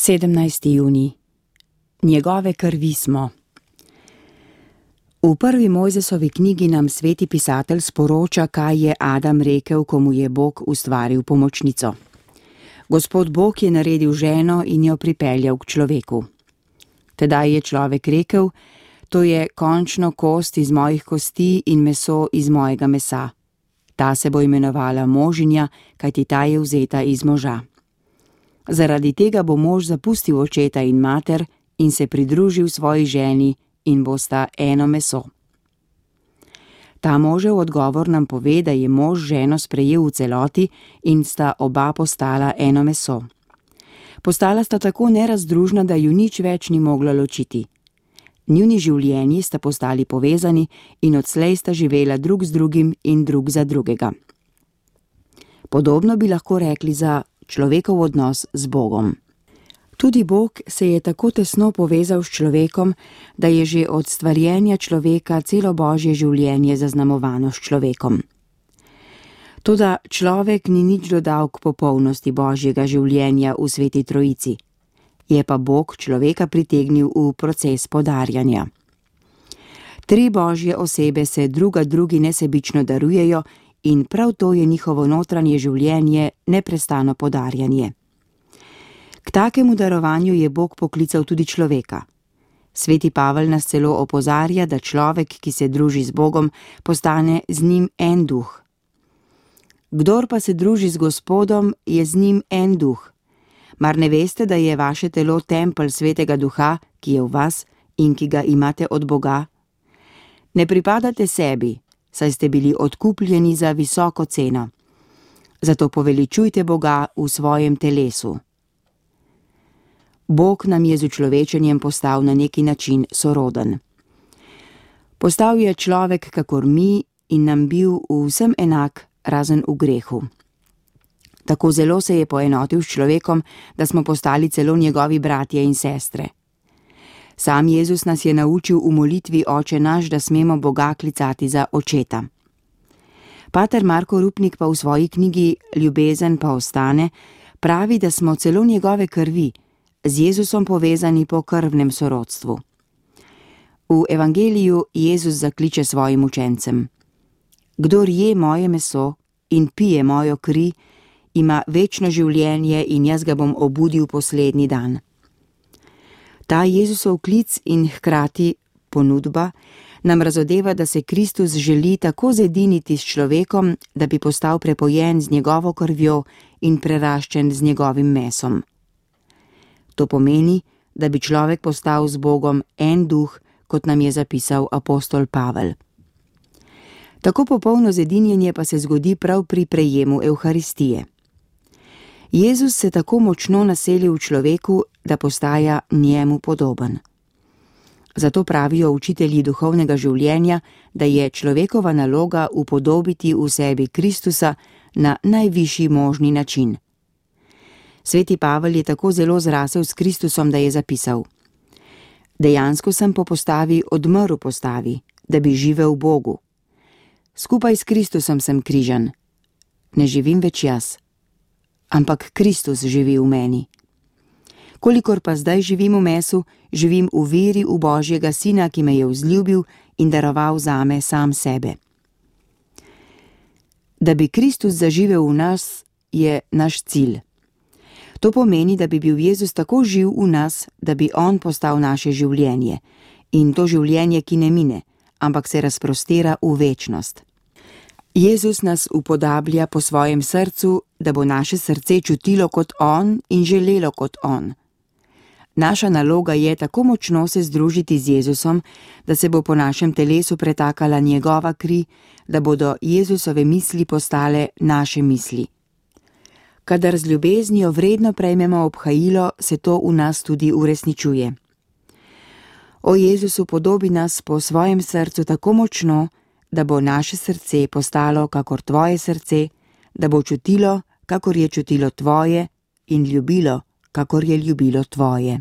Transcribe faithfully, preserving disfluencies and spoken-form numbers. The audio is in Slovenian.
sedemnajsti junij. Njegove krvi smo. V prvi Mojzesovi knjigi nam sveti pisatelj sporoča, kaj je Adam rekel, ko mu je Bog ustvaril pomočnico. Gospod Bog je naredil ženo in jo pripeljal k človeku. Tedaj je človek rekel: to je končno kost iz mojih kosti in meso iz mojega mesa. Ta se bo imenovala možinja, kajti ta je vzeta iz moža. Zaradi tega bo mož zapustil očeta in mater in se pridružil svoji ženi in bosta eno meso. Ta možev odgovor nam pove, da je mož ženo sprejel v celoti in sta oba postala eno meso. Postala sta tako nerazdružna, da ju nič več ni moglo ločiti. Njuni življenji sta postali povezani in odslej sta živela drug z drugim in drug za drugega. Podobno bi lahko rekli za človekov odnos z Bogom. Tudi Bog se je tako tesno povezal s človekom, da je že od stvarjenja človeka celo Božje življenje zaznamovano s človekom. Toda človek ni nič dodal k popolnosti Božjega življenja v Sveti Trojici. Je pa Bog človeka pritegnil v proces podarjanja. Tri Božje osebe se druga drugi nesebično darujejo in prav to je njihovo notranje življenje, neprestano podarjanje. K takemu darovanju je Bog poklical tudi človeka. Sveti Pavel nas celo opozarja, da človek, ki se druži z Bogom, postane z njim en duh. Kdor pa se druži z Gospodom, je z njim en duh. Mar ne veste, da je vaše telo tempelj Svetega Duha, ki je v vas in ki ga imate od Boga? Ne pripadate sebi, saj ste bili odkupljeni za visoko ceno. Zato poveličujte Boga v svojem telesu. Bog nam je z učlovečenjem postal na neki način soroden. Postal je človek kakor mi in nam bil vsem enak, razen v grehu. Tako zelo se je poenotil s človekom, da smo postali celo njegovi bratje in sestre. Sam Jezus nas je naučil v molitvi Oče naš, da smemo Boga klicati za očeta. Pater Marko Rupnik pa v svoji knjigi Ljubezen pa ostane pravi, da smo celo njegove krvi, z Jezusom povezani po krvnem sorodstvu. V evangeliju Jezus zakliče svojim učencem: kdor je moje meso in pije mojo kri, ima večno življenje in jaz ga bom obudil poslednji dan. Ta Jezusov klic in hkrati ponudba nam razodeva, da se Kristus želi tako zediniti s človekom, da bi postal prepojen z njegovo krvjo in preraščen z njegovim mesom. To pomeni, da bi človek postal z Bogom en duh, kot nam je zapisal apostol Pavel. Tako popolno zedinjenje pa se zgodi prav pri prejemu Evharistije. Jezus se tako močno naseli v človeku, da postaja njemu podoben. Zato pravijo učitelji duhovnega življenja, da je človekova naloga upodobiti v sebi Kristusa na najvišji možni način. Sveti Pavel je tako zelo zrasel s Kristusom, da je zapisal: dejansko sem po postavi odmrl postavi, da bi živel v Bogu. Skupaj s Kristusom sem križan. Ne živim več jaz, ampak Kristus živi v meni. Kolikor pa zdaj živim v mesu, živim v veri v Božjega Sina, ki me je vzljubil in daroval zame sam sebe. Da bi Kristus zaživel v nas, je naš cilj. To pomeni, da bi bil Jezus tako živ v nas, da bi on postal naše življenje. In to življenje, ki ne mine, ampak se razprostira v večnost. Jezus nas upodablja po svojem srcu, da bo naše srce čutilo kot on in želelo kot on. Naša naloga je tako močno se združiti z Jezusom, da se bo po našem telesu pretakala njegova kri, da bodo Jezusove misli postale naše misli. Kadar z ljubeznijo vredno prejmemo obhajilo, se to v nas tudi uresničuje. O Jezusu podobi nas po svojem srcu tako močno, da bo naše srce postalo kakor tvoje srce, da bo čutilo, kakor je čutilo tvoje, in ljubilo, kakor je ljubilo tvoje.